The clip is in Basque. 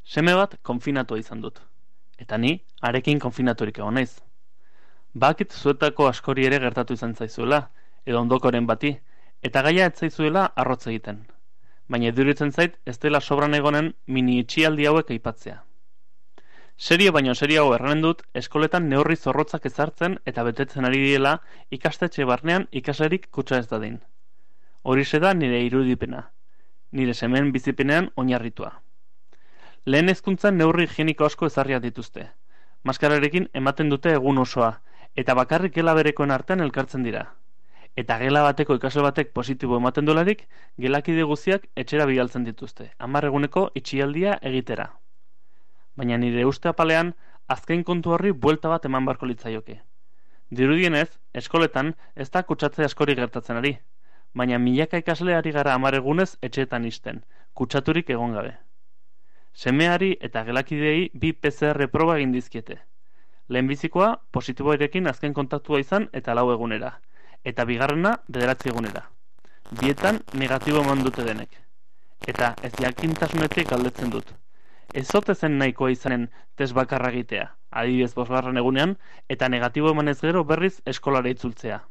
Seme bat konfinatua izan dut, eta ni harekin konfinaturik egon naiz. Bakit zuetako askori ere gertatu izan zaizuela, edo ondokoren bati, eta gaia ez zaizuela arrotz egiten. Baina iduritzen zait ez dela sobran egonen mini itxialdi hauek aipatzea. Serio baino seriago erranen dut, eskoletan neurri zorrotzak ezartzen eta betetzen ari diela ikastetxe barnean ikaslerik kutsa ez dadin. Horixe da nire irudipena, nire semeen bizipenean oinarritua. Lehen hezkuntzan neurri higieniko asko ezarriak dituzte. Maskararekin ematen dute egun osoa, eta bakarrik gela berekoen artean elkartzen dira. Eta gela bateko ikasle batek positibo ematen dolarik, gelakide guztiak etxera bidaltzen dituzte, 10 eguneko itxialdia egitera. Baina nire uste apalean, azken kontu horri buelta bat eman barko litzaioke. Dirudienez, eskoletan ez da kutsatze askori gertatzen ari, baina milaka ikasle ari gara 10 egunez etxeetan isten, kutsaturik egon gabe. Semeari eta gelakideei 2 PCR proba egin dizkiete. Lehenbizikoa positiboarekin azken kontaktua izan eta 4 egunera, eta bigarrena 9 egunera. Bietan negatibo eman dute denek. Eta ez jakintasunetik galdetzen dut. Ez ote zen nahikoa izanen test bakarra egitea, adibidez 5. egunean, eta negatibo emanez gero berriz eskolara itzultzea.